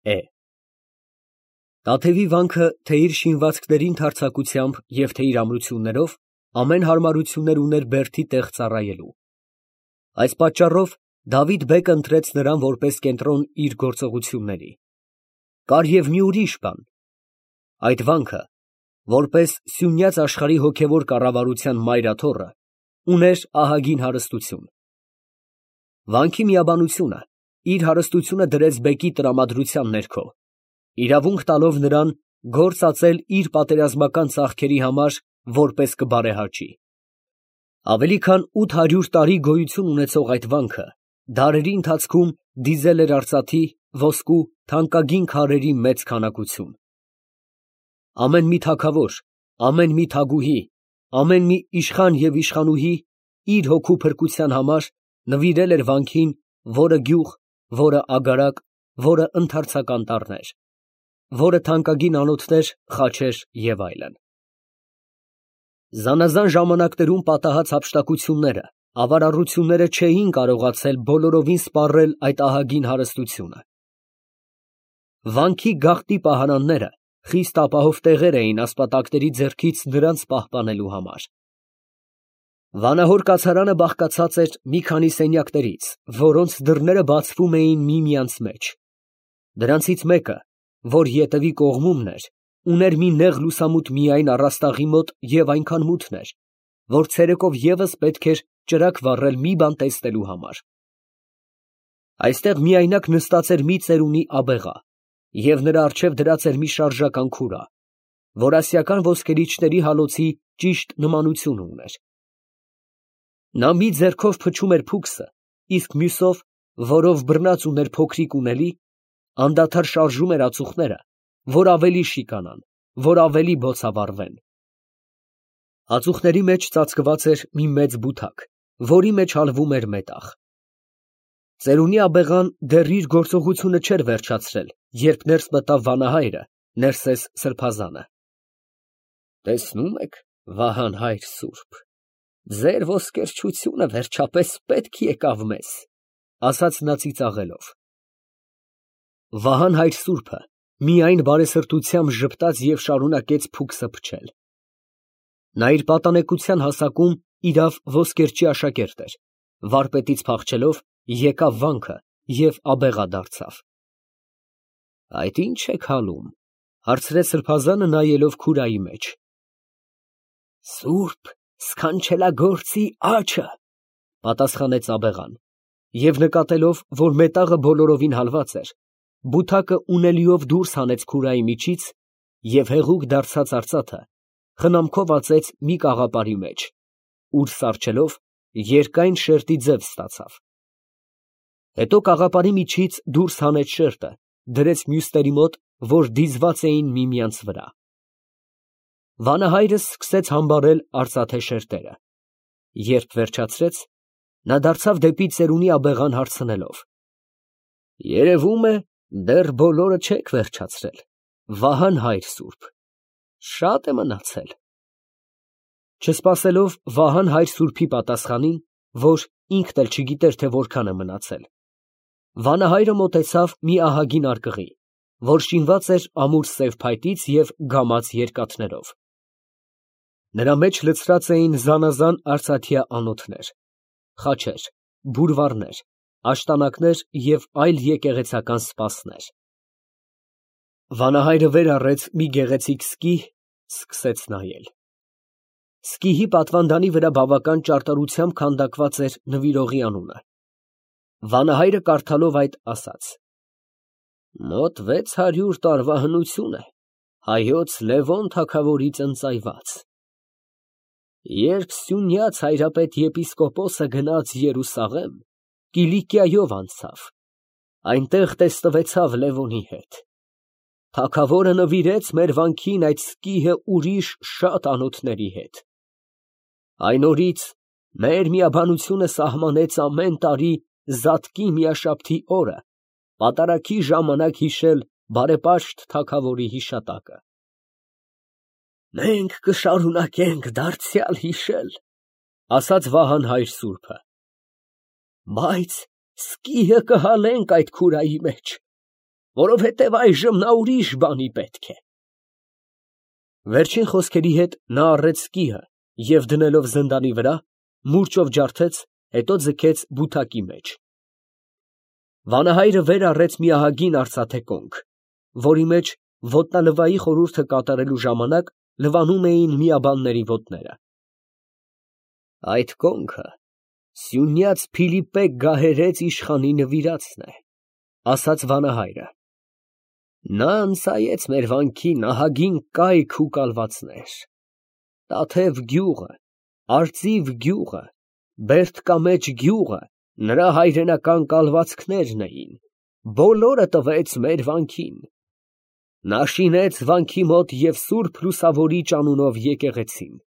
Է։ Տաթևի վանքը թե իր շինվածքների ընդարձակությամբ և թե իր ամրություններով ամեն հարմարություններ ուներ բերդի տեղ ծառայելու։ Այս պատճառով Դավիթ բեկը ընտրեց նրան որպես կենտրոն իր գործողությունների։ Կար և մի ուրիշ բան. այդ վանքը, որպես սյունյաց աշխարհի հոգևոր կառավարության մայրաթոռը, ուներ ահագին հարստություն։ Վանքի միաբանությունը իր հարստությունը դրեց բեկի տրամադրության ներքո, իրավունք տալով նրան գործ ածել իր պատերազմական ծախքերի համար որպես կբարեհաճի։ Ավելի քան 800 տարի գոյություն ունեցող այդ վանքը դարերի ընթացքում դիզել էր արծաթի, ոսկու, թանկագին քարերի մեծ քանակություն։ Ամեն մի թագավոր, ամեն մի թագուհի, ամեն մի իշխան և իշխանուհի իր հոգու փրկության համար նվիրել էր վանքին որը գյուղ, որը ագարակ, որը ընդարձակ անտառներ, որը թանկագին անոթներ, խաչեր և այլն։ Զանազան ժամանակներում պատահած հափշտակությունները, ավարառությունները չէին կարողացել բոլորովին սպառել այդ ահագին հարստությունը։ Վանքի գաղտնի պահարանները խիստ ապահով տեղեր էին ասպատակների ձեռքից նրանց պահպանելու համար։ Վանահոր կացարանը բաղկացած էր մի քանի սենյակներից, որոնց դռները բացվում էին միմյանց մեջ։ Դրանցից մեկը, որ ետևի կողմումն էր, ուներ մի նեղ լուսամուտ միայն առաստաղի մոտ և այնքան մութն էր, որ ցերեկով ևս պետք էր ճրագ վառել մի բան տեսնելու համար։ Այստեղ միայնակ նստած էր մի ծերունի աբեղա, և նրա առջև դրած էր մի շարժական քուրա, որ ասիական ոսկերիչների հալոցի ճիշտ նմանություն ուներ։ Նա մի ձեռքով փչում էր փուքսը, իսկ մյուսով, որով բռնած ուներ փոքրիկ ունելի, անդադար շարժում էր ածուխները, որ ավելի շիկանան, որ ավելի բոցավառվեն։ Ածուխների մեջ ծածկված էր մի մեծ բութակ, որի մեջ հալվում էր մետաղ։ Ծերունի աբեղան դեռ իր գործողությունը չէր վերջացրել, երբ ներս մտավ վանահայրը, Ներսես սրբազանը։ Տեսնում եք, Վահան հայր սուրբ, ձեր ոսկերչությունը վերջապես պետք եկավ մեզ, ասաց նա ծիծաղելով։ Վահան հայր սուրբը միայն բարեսրտությամբ ժպտաց և շարունակեց փուքսը փչել։ Նա իր պատանեկության հասակում իրավ ոսկերչի աշակերտ էր, վարպետից փախչելով եկավ վանքը և աբեղա դարձավ։ Այդ ի՞նչ եք հալում, հարցրեց սրբազանը նայելով քուրայի մեջ։ Սուրբ սքանչելագործի աջը, պատասխանեց աբեղան, և նկատելով, որ մետաղը բոլորովին հալված էր, բութակը ունելիով դուրս հանեց քուրայի միջից և հեղուկ դարձած արծաթը խնամքով ածեց մի կաղապարի մեջ, ուր սառչելով երկայն շերտի ձև ստացավ։ Հետո կաղապարի միջից դուրս հանեց շերտը, դրեց մյուսների մոտ, որ դիզված էին միմյանց վրա։ Վանահայրը սկսեց համբարել արծաթե շերտերը։ Երբ վերջացրեց, նա դարձավ դեպի ծերունի աբեղան հարցնելով. երևում է, դեռ բոլորը չեք վերջացրել, Վահան հայր սուրբ, շատ է մնացել։ Չսպասելով Վահան հայր սուրբի պատասխանին, որ ինքն էլ չգիտեր, թե որքան է մնացել, վանահայրը մոտեցավ մի ահագին արկղի, որ շինված էր ամուր սև փայտից և գամած երկաթներով։ Նրա մեջ լցրած էին զանազան արծաթյա անոթներ, խաչեր, բուրվառներ, աշտանակներ և այլ եկեղեցական սպասներ։ Վանահայրը վեր առեց մի գեղեցիկ սկի, սկսեց նայել։ Սկիհի պատվանդանի վրա բավական ճարտարությամբ քանդակված էր նվիրողի անունը։ Վանահայրը կարդալով այդ ասաց. մոտ 600 տարվա հնություն է հայոց Լևոն թագավորից ընծայված։ Երբ Սյունյաց հայրապետ եպիսկոպոսը գնաց Երուսաղեմ, Կիլիկիայով անցավ, այնտեղ տեսնվեցավ Լևոնի հետ։ Թագավորը նվիրեց մեր վանքին այդ սկիհը ուրիշ շատ անոթների հետ։ Այն օրից մեր միաբանությունը սահմանեց ամեն տարի Զատկի միաշաբթի օրը պատարագի ժամանակ հիշել բարեպաշտ թագավորի հիշատակը։ Մենք կշարունակենք դարձյալ հիշել, ասաց Վահան հայր սուրբը, բայց սկիհը կհալենք այդ քուրայի մեջ, որովհետև այժմ նա ուրիշ բանի պետք է։ Վերջին խոսքերի հետ նա առեց կիհը և դնելով զնդանի վրա, մուրճով ջարդեց, հետո ձգեց բութակի մեջ։ Վանահայրը վեր առեց մի ահագին արծաթե կոնք, որի մեջ ոտնալվայի խորհուրդը կատարելու ժամանակ լվանում էին միաբանների ոտները։ Այդ կոնքը Սյունյաց Փիլիպպե գահերեց իշխանի նվիրածն է, ասաց վանահայրը։ Նա ընծայեց մեր վանքին ահագին կայք ու կալվածներ, Տաթև գյուղը, Արծիվ գյուղը, Բերդկամեջ գյուղը նրա հայրենական կալվածքներն էին, բոլորը տվեց մեր վանքին։ Նա շինեց վանքի մոտ և Սուրբ Լուսավորիչ անունով եկեղեցին։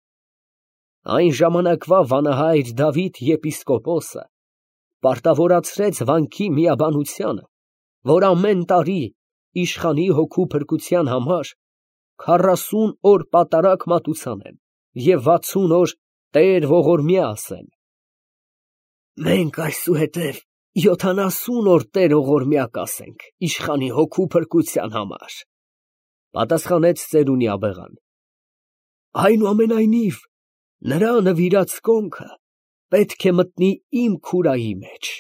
Այն ժամանակվա վանահայր Դավիթ եպիսկոպոսը պարտավորացրեց վանքի միաբանությանը, որ ամեն տարի իշխանի հոգու փրկության համար 40 օր պատարագ մատուցանեն և 60 օր Տեր ողորմյա ասեն։ Մենք այսուհետև 70 օր Տեր ողորմյա կասենք իշխանի հոգու փրկության համար, պատասխանեց ծերունի-աբեղան։ Այնուամենայնիվ, նրա նվիրած կոնքը պետք է մտնի իմ քուրայի մեջ։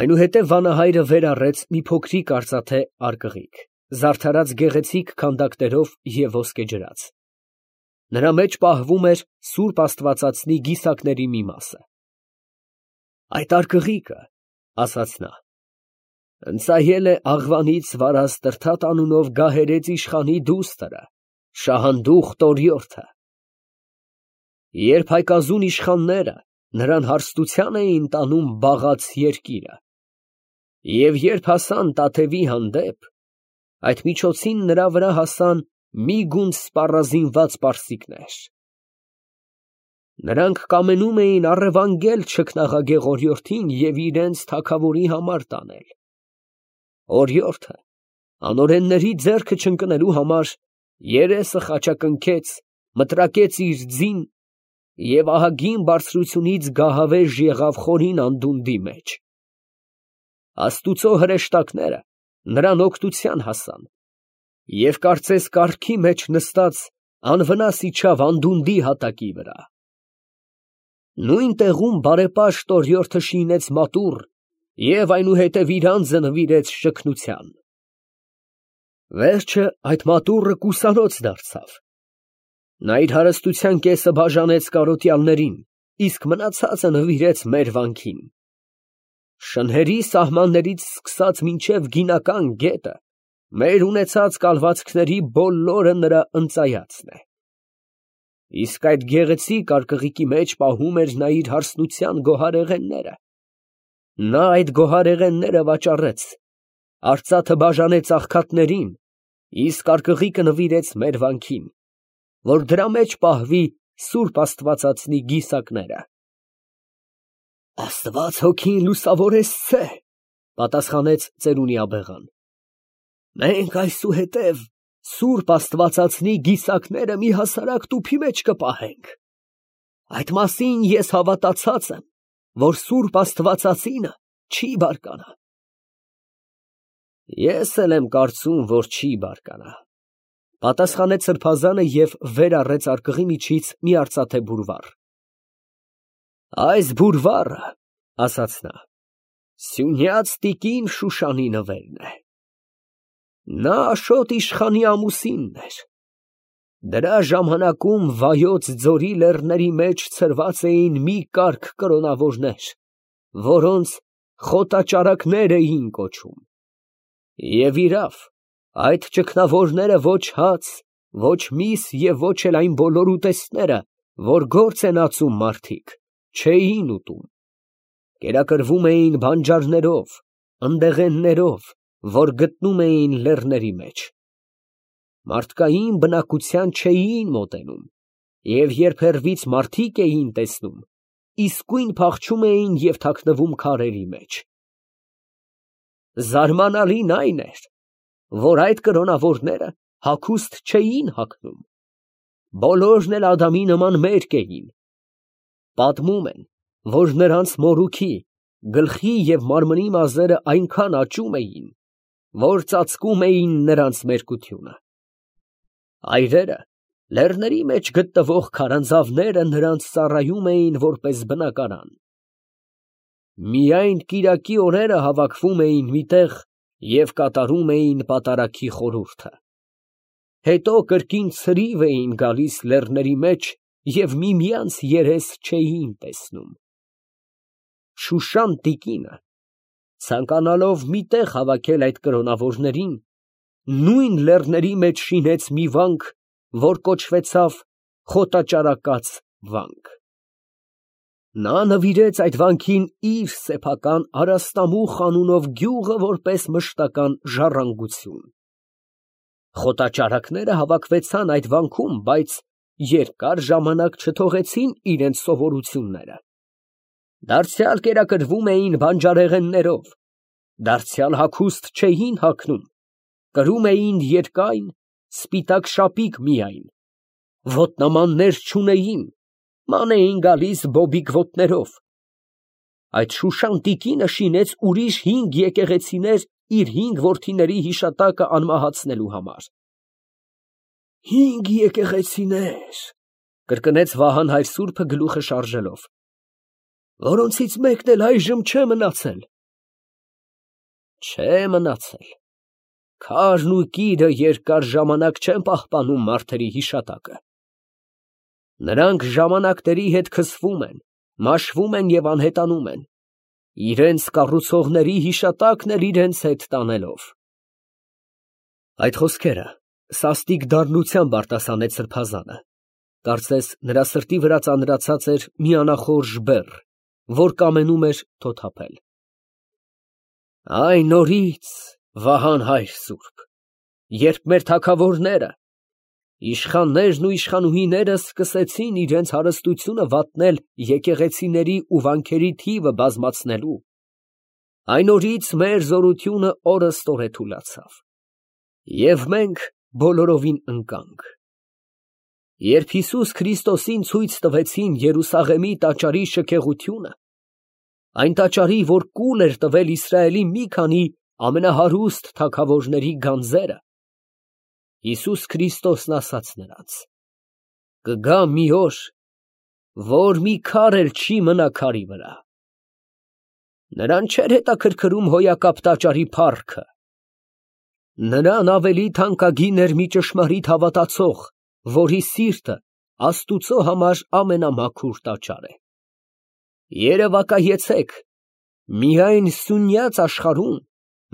Այնուհետև վանահայրը վեր առեց մի փոքրիկ արծաթե արկղիկ, զարդարած գեղեցիկ քանդակներով և ոսկեջրած։ Նրա մեջ պահվում էր Սուրբ Աստվածածնի գիսակների մի մասը։ Այդ արկղիկը, ասաց նա, ընծայել է Աղվանից Վարազ Տրդատ անունով գահերեց իշխանի դուստրը, Շահանդուխ Տորյորթը։ Երբ հայկազուն իշխանները նրան հարստության էին տանում բաղաց երկիրը, և երբ հասան Տաթևի հանդեպ, այդ միջոցին նրա վրա հասան մի գունդ սպառազինված պարսիկներ։ Նրանք կամենում էին առևանգել չքնաղագեղ օրիորդին և իրենց թագավորի համար տանել։ Օրիորդը անօրենների ձեռքը չընկնելու համար երեսը խաչակնքեց, մտրակեց իր ձին և ահագին բարձրությունից գահավեժ եղավ խորին անդունդի մեջ։ Աստուծո հրեշտակները նրան օգնության հասան և կարծես կառքի մեջ նստած անվնաս իջավ անդունդի հատակի վրա։ Նույն տեղում բարեպաշտ օրիորդը շինեց մատուռ և այնուհետև իր անձը նվիրեց շքնության։ Վերջը այդ մատուռը կուսանոց դարձավ։ Նա իր հարստության կեսը բաժանեց կարոտյալներին, իսկ մնացածը նվիրեց մեր վանքին։ Շնհերի սահմաններից սկսած մինչև գինական գետը մեր ունեցած կալվածքների բոլորը նրա ընծայածն է։ Իսկ այդ գեղեցիկ արկղիկի մեջ պահում էր նա իր հարստության գոհարեղենները։ Նա այդ գոհարեղենները վաճառեց, արծաթը բաժանեց աղքատներին, իսկ արկղիկը նվիրեց մեր վանքին, որ դրա մեջ պահվի Սուրբ Աստվածածնի գիսակները։ Աստված հոգին լուսավորեցցե, պատասխանեց ծերունի-աբեղան։ Մենք այսուհետև Սուրբ Աստվածածնի գիսակները մի հասարակ տուփի մեջ կպահենք։ Այդ մասին ես հավատացած եմ, որ Սուրբ Աստվածածինը չի բարկանա։ Ես էլ եմ կարծում, որ չի բարկանա, պատասխանեց սրբազանը և վեր առեց արկղի միջից մի արծաթե բուրվառ։ Այս բուրվառը, ասաց նա, Սյունյաց տիկին Շուշանի նվերն է։ Նա Աշոտ իշխանի ամուսինն էր։ Դրա ժամանակում Վայոց ձորի լեռների մեջ ցրված էին մի կարգ կրոնավորներ, որոնց խոտաճարակներ էին կոչում։ Եվ իրավ, այդ ճգնավորները ոչ հաց, ոչ միս և ոչ էլ այն բոլոր ուտեստները, որ գործ են ածում մարդիկ, չէին ուտում։ Կերակրվում էին բանջարներով, ընդեղեններով, որ գտնում էին լեռների մեջ։ Մարդկային բնակության չէին մոտենում, և երբ հեռվից մարդիկ էին տեսնում, իսկույն փախչում էին և թաքնվում քարերի մեջ։ Զարմանալին այն էր, որ այդ կրոնավորները հագուստ չէին հագնում, բոլորն էլ Ադամի նման մերկ էին։ Պատմում են, որ նրանց մորուքի, գլխի և մարմնի մազերը այնքան աճում էին, որ ծածկում էին նրանց մերկությունը։ Այրերը, լեռների մեջ գտնվող քարանձավները նրանց ծառայում էին որպես բնակարան։ Միայն կիրակի օրերը հավաքվում էին մի տեղ և կատարում էին պատարագի խորհուրդը։ Հետո կրկին ցրիվ էին գալիս լեռների մեջ և միմյանց երես չէին տեսնում։ Շուշան տիկինը, ցանկանալով մի տեղ հավաքել այդ կրոնավորներին, նույն լեռների մեջ շինեց մի վանք, որ կոչվեցավ Խոտաճարակաց վանք։ Նա նվիրեց այդ վանքին իր սեփական Արաստամուխ անունով գյուղը որպես մշտական ժառանգություն։ Խոտաճարակները հավաքվեցան այդ վանքում, բայց երկար ժամանակ չթողեցին իրենց սովորությունները։ Դարձյալ կերակրվում էին բանջարեղեններով, դարձյալ հագուստ չէին հագնում, կրում էին երկայն, սպիտակ շապիկ միայն, ոտնամաններ չունեին, ման էին գալիս բոբիկ ոտներով։ Այդ Շուշան տիկինը շինեց ուրիշ 5 եկեղեցիներ իր 5 որդիների հիշատակը անմահացնելու համար։ 5 եկեղեցիներ, կրկնեց Վահան հայր սուրբը գլուխը շարժելով, որոնցից մեկն էլ այժմ չէ մնացել։ Չէ մնացել։ Քարն ու կիրը երկար ժամանակ չեն պահպանում մարդերի հիշատակը։ Նրանք ժամանակների հետ քսվում են, մաշվում են և անհետանում են, իրենց կառուցողների հիշատակն էլ իրենց հետ տանելով։ Այդ խոսքերը սաստիկ դառնությամբ արտասանեց սրբազանը, կարծես նրա սրտի վրա ծանրացած էր մի անախորժ բեռ, որ կամենում էր թոթափել։ Այն օրից, Վահան հայր սուրբ, երբ մեր թագավորները, իշխաններն ու իշխանուհիները սկսեցին իրենց հարստությունը վատնել եկեղեցիների ու վանքերի թիվը բազմացնելու, այն օրից մեր զորությունը օրըստօրե թուլացավ, և մենք բոլորովին ընկանք։ Երբ Հիսուս Քրիստոսին ցույց տվեցին Երուսաղեմի տաճարի շքեղությունը, այն տաճարի, որ կուլ էր տվել Իսրայելի մի քանի ամենահարուստ թագավորների գանձերը, Հիսուս Քրիստոսն ասաց նրանց. «Կգա մի օր, որ մի քար էլ չի մնա քարի վրա»։ Նրան չէր հետաքրքրում հոյակապ տաճարի փառքը։ Նրան ավելի թանկագին էր մի ճշմարիտ հավատացող, որի սիրտը Աստուծո համար ամենամաքուր տաճար է։ Երևակայեցեք, միայն սյունյաց աշխարհում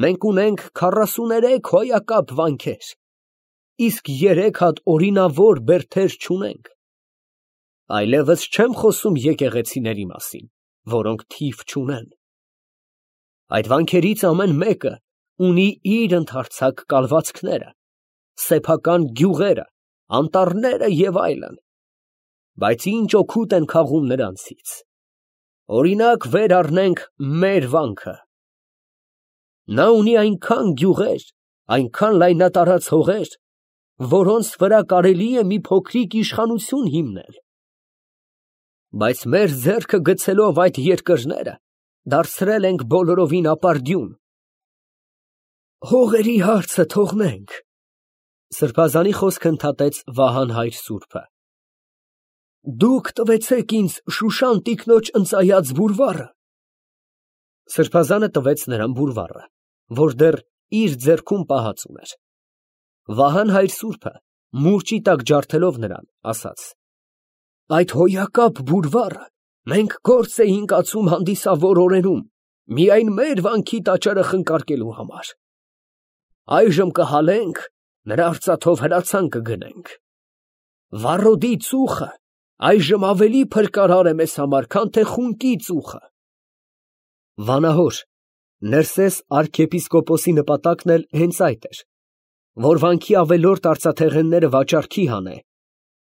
մենք ունենք 43 հոյակապ վանքեր, իսկ 3 հատ օրինավոր բերդեր չունենք։ Այլևս չեմ խոսում եկեղեցիների մասին, որոնք թիվ չունեն։ Այդ վանքերից ամեն մեկը ունի իր ընդարձակ կալվածքները, սեփական գյուղերը, անտառները և այլն, բայց ինչ օգուտ են քաղում նրանցից։ Օրինակ վեր առնենք մեր վանքը։ Նա ունի այնքան գյուղեր, այնքան լայնատարած հողեր, որոնց վրա կարելի է մի փոքրիկ իշխանություն հիմնել։ Բայց մեր ձեռքը գցելով այդ երկրները, դարձրել ենք բոլորովին ապարդյուն։ Հողերի հարցը թողնենք, սրբազանի խոսքը ընդհատեց Վահան հայր սուրբը։ Դուք տվեցեք ինձ Շուշան տիկնոջ ընծայած բուրվառը։ Սրբազանը տվեց նրան բուրվառը, որ դեռ իր ձեռքում պահած ուներ։ Վահան հայր սուրբը, մուրճի տակ ջարդելով նրան, ասաց. Այդ հոյակապ բուրվառը մենք գործ էինք ածում հանդիսավոր օրերում, միայն մեր վանքի տաճարը խնկարկելու համար։ Այժմ կհալենք, նրա արծաթով հրացան կգնենք։ Վառոդի ծուխը այժմ ավելի փրկարար է մեզ համար, քան թե խունկի ծուխը։ Վանահոր Ներսես արքեպիսկոպոսի նպատակն էլ հենց այդ էր, որ վանքի ավելորդ արծաթեղենները վաճառքի հանե,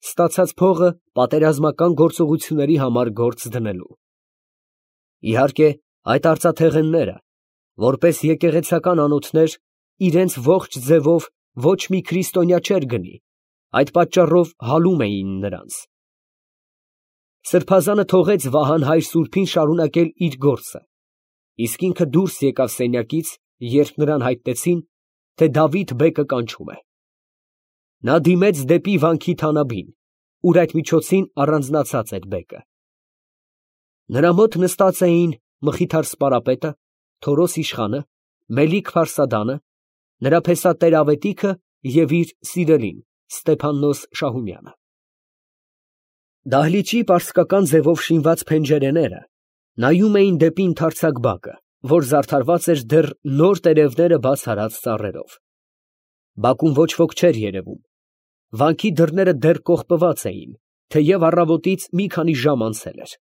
ստացած փողը պատերազմական գործողությունների համար գործ դնելու։ Իհարկե, այդ արծաթեղենները, որպես եկեղեցական անոթներ, իրենց ողջ ձևով ոչ մի քրիստոնյա չէր գնի, այդ պատճառով հալում էին նրանց։ Սրբազանը թողեց Վահան հայր սուրբին շարունակել իր գործը, իսկ ինքը դուրս եկավ սենյակից, երբ նրան հայտնեցին, թե Դավիթ֊բեկը կանչում է։ Նա դիմեց դեպի վանքի թանաբին, ուր այդ միջոցին առանձնացած էր բեկը։ Նրա մոտ նստած էին Մխիթար սպարապետը, Թորոս իշխանը, Մելիք փարսադանը, նրա փեսա տեր֊ավետիքը և իր սիրելին Ստեփաննոս Շահումյանը։ Դահլիճի պարսկական ձևով շինված փենջերեները նայում էին դեպի ընդարձակ բակը, որ զարդարված էր դեռ նոր տերևները բաց արած ծառերով։ Բակում ոչ ոք չէր երևում։ Վանքի դռները դեռ կողպված էին, թեև առավոտից մի քանի ժամ անցել էր։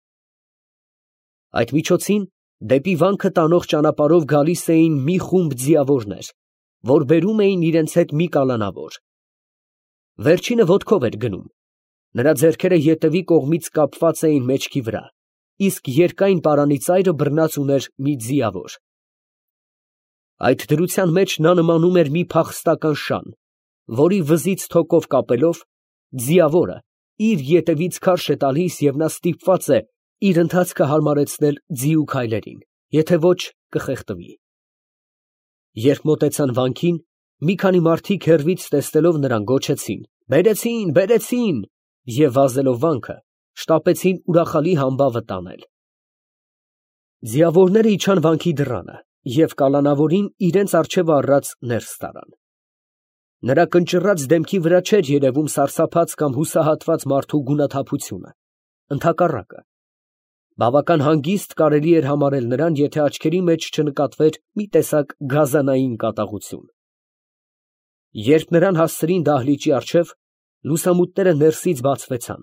Այդ միջոցին դեպի վանքը տանող ճանապարհով գալիս էին մի խումբ ձիավորներ, որ բերում էին իրենց հետ մի կալանավոր։ Վերջինը ոտքով էր գնում, նրա ձեռքերը ետևի կողմից կապված էին մեջքի վրա, իսկ երկայն պարանի ծայրը բռնած ուներ մի ձիավոր։ Այդ դրության մեջ նա նմանում էր մի փախստական շան, որի վզից թոկով կապելով, ձիավորը իր ետևից քարշ է տալիս և նա ստիպված է իր ընթացքը հարմարեցնել ձիու քայլերին, եթե ոչ կխեղդվի։ Երբ մոտեցան վանքին, մի քանի մարդիկ հեռվից տեսնելով նրան գոչեցին. «Բերեցին, բերեցին» և վազելով վանքը, շտապեցին ուրախալի համբավը տանել։ Ձիավորները իջան վանքի դռանը և կալանավորին իրենց առջևը առած ներս տարան։ Նրա կնճռած դեմքի վրա չէր երևում սարսափած կամ հուսահատված մարդու գունաթափությունը, ընդհակառակը, բավական հանգիստ կարելի էր համարել նրան, եթե աչքերի մեջ չնկատվեր մի տեսակ գազանային կատաղություն։ Երբ նրան հասցրին դահլիճի առջև, լուսամուտները ներսից բացվեցան։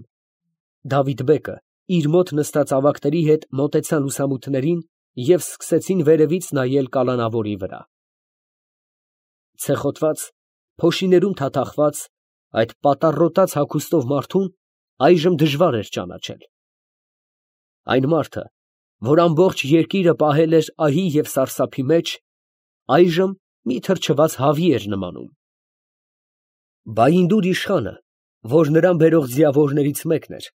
Դավիթ֊բեկը իր մոտ նստած ավագների հետ մոտեցան լուսամուտներին և սկսեցին վերևից նայել կալանավորի վրա։ Ցեխոտված, փոշիներում թաթախված, այդ պատառոտած հագուստով մարդուն այժմ դժվար էր ճանաչել։ Այն մարդը, որ ամբողջ երկիրը պահել էր ահի և սարսափի մեջ, այժմ մի թրջված հավի էր նմանում։ Բայնդուր իշխանը, որ նրան բերող ձիավորներից մեկն էր,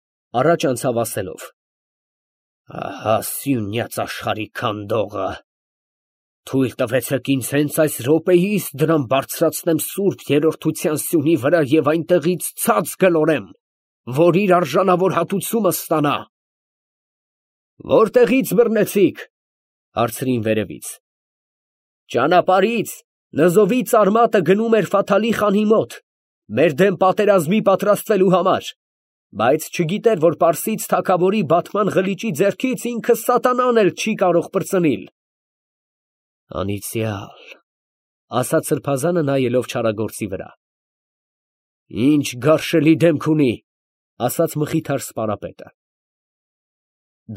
առաջ անցավ ասելով. «Ահա սյունյաց աշխարհի քանդողը, թույլ տվեցեք ինձ հենց այս րոպեիս դրան բարձրացնեմ սուրբ երրորդության սյունի վրա և այնտեղից ցած գլորեմ, որ իր արժանավոր հատուցումը ստանա»։ «Որտեղի՞ց բռնեցիք» հարցրին վերևից։ «Ճանապարհից, նզովի ծարմատը գնում էր Ֆաթալի խանի մոտ, մեր դեմ պատերազմի պատրաստվելու համար, բայց չգիտեր, որ պարսից թագավորի բատման ղլիճի ձեռքից ինքը սատանան էլ չի կարող պրծնիլ»։ «Անիծյալ», ասաց սրբազանը նայելով չարագործի վրա։ «Ինչ գարշելի դեմք ունի», ասաց Մխիթար սպարապետը։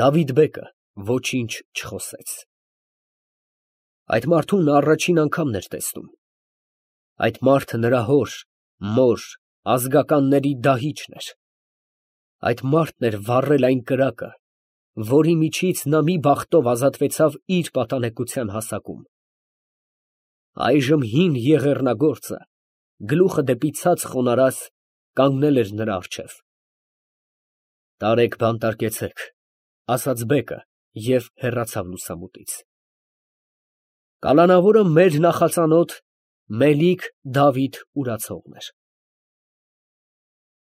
Դավիթ֊բեկը ոչինչ չխոսեց։ Այդ մարդուն նա առաջին անգամն էր տեսնում։ Այդ մարդը նրա հոր, մոր, ազգականների դահիճն էր։ Այդ մարդն էր վառել այն կրակը, որի միջից նա մի բախտով ազատվեցավ իր պատանեկության հասակում։ Այժմ հին եղեռնագործը, գլուխը դեպի ցած խոնարհած, կանգնել էր նրա առջև։ «Տարեք բանտարկեցեք», ասաց բեկը և հեռացավ լուսամուտից։ Կալանավորը մեր նախածանոթ Մելիք Դավիթ ուրացողն էր։